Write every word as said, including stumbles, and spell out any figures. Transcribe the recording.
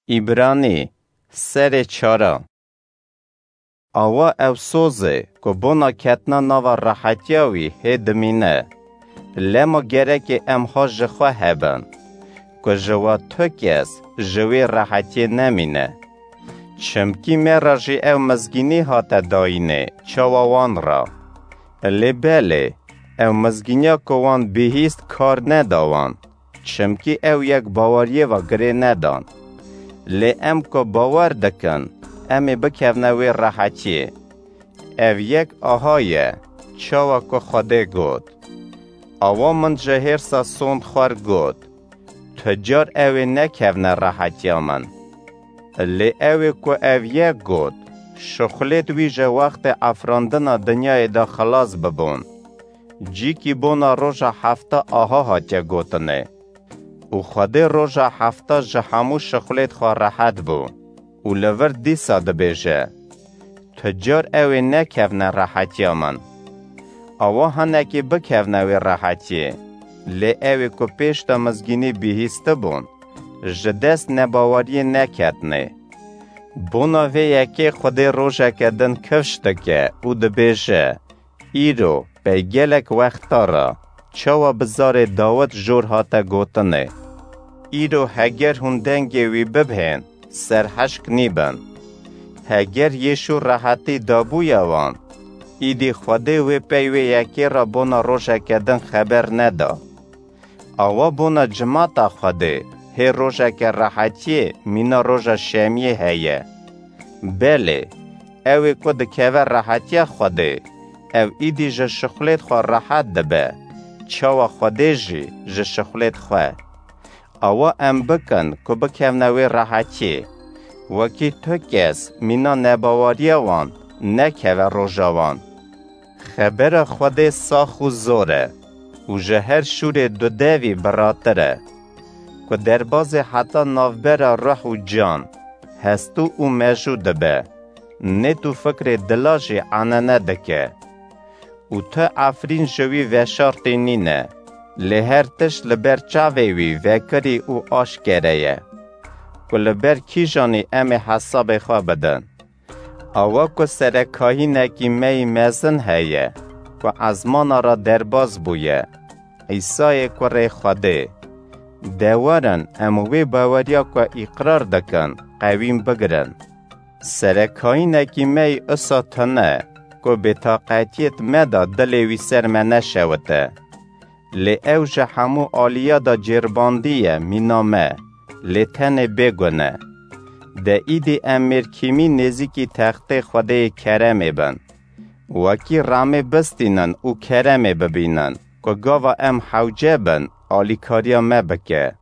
Îbranî, serê çara. Awa ew soz e ku bona ketina nava rehetiya wî hê dimîne. Lema gerekê em ha ji xwe hebin, ku ji wa tu kes ji wê rehetiyê nemîne. Çimkî me re jî ew mizgînî hate dayînê çawa wan re. Lê belê, ew mizgîniya ku wan bihîst kar neda wan, çimkî ew yek baweriyê ve girê nedan. Lê em ku bawer dikin, em ê bikevne wê rehetiyê. Ev yek aha ye, çawa ku Xwedê got, "Awa min ji hêrsa sond xwer got, 'Tu car ew ê nekevne rehetiya min.'" Lê ew ê ku ev yek got, şixulêt wî ji wextê efrandina dinyayê de xilas bibûn. Cîkî bona roja hefta aha hatiye gotinê. Û Xwedê roja hefta ji hemû şixulêt xwe rehet bû. Û li vir dîsa dibêje, "Tu car ew ê nekevne rehetiya min." Awa hinekî bikevne wê rehetiyê, lê ew ê ku pêş de mizgînî bihîstibûn, ji dest nebaweriyê neketnê. Bona vê yekê Xwedê rojeke din kifş dike û dibêje, "Îro, pey gelek wexta re, çawa bi zarê Dawid jor hate gotinê? Îro heger hûn dengê wî bibhên, serhişk nîbin." Heger Yêşû rehetî dabûye wan, îdî Xwedê wê pey wê yekê re bona rojeke din xeber neda. Awa bona cimata Xwedê hê rojeke rehetiyê mîna roja şemiyê heye. Belê, ew ê ku dikeve rehetiya Xwedê, ew îdî ji şixulêt xwe rehet dibe, çawa Xwedê jî ji şixulêt xwe. Awa em bikin ku bikevne wê rehetiyê, wekî tu kes mîna nebawariya wan nekeve roja wan. Xebera Xwedê sax û zor e û ji her şûrê dudevî biratir e, ku derbazê heta navbera ruh û can, hestû û mejû dibe, nêt û fikrê dila jî enene dike. Û tu efrîn ji wî veşartî nîne, lê her tişt li ber çavê wî vekirî û aşkere ye, ku li ber kîjanî em ê hesabê xwe bidin. Awa ku serekahînekî me yî mezin heye, ku ezmana re derbaz bûye, Îsayê kurê Xwedê. De werin em wê baweriya ku îqrar dikin, qewîn bigirin. Serekahînekî me yî usa tune, ku bêtaqetiyêt me de dilê wî ser me neşewite. Lê ew ji hemû aliya de cêrbandiye mîna me, lê tenê bêgune. De îdî em mêrkîmî nêzîkî textê Xwedêyê keremê bin. Wekî ramê bistînin û keremê bibînin, ku gava em hewce bin, alîkariya me bike.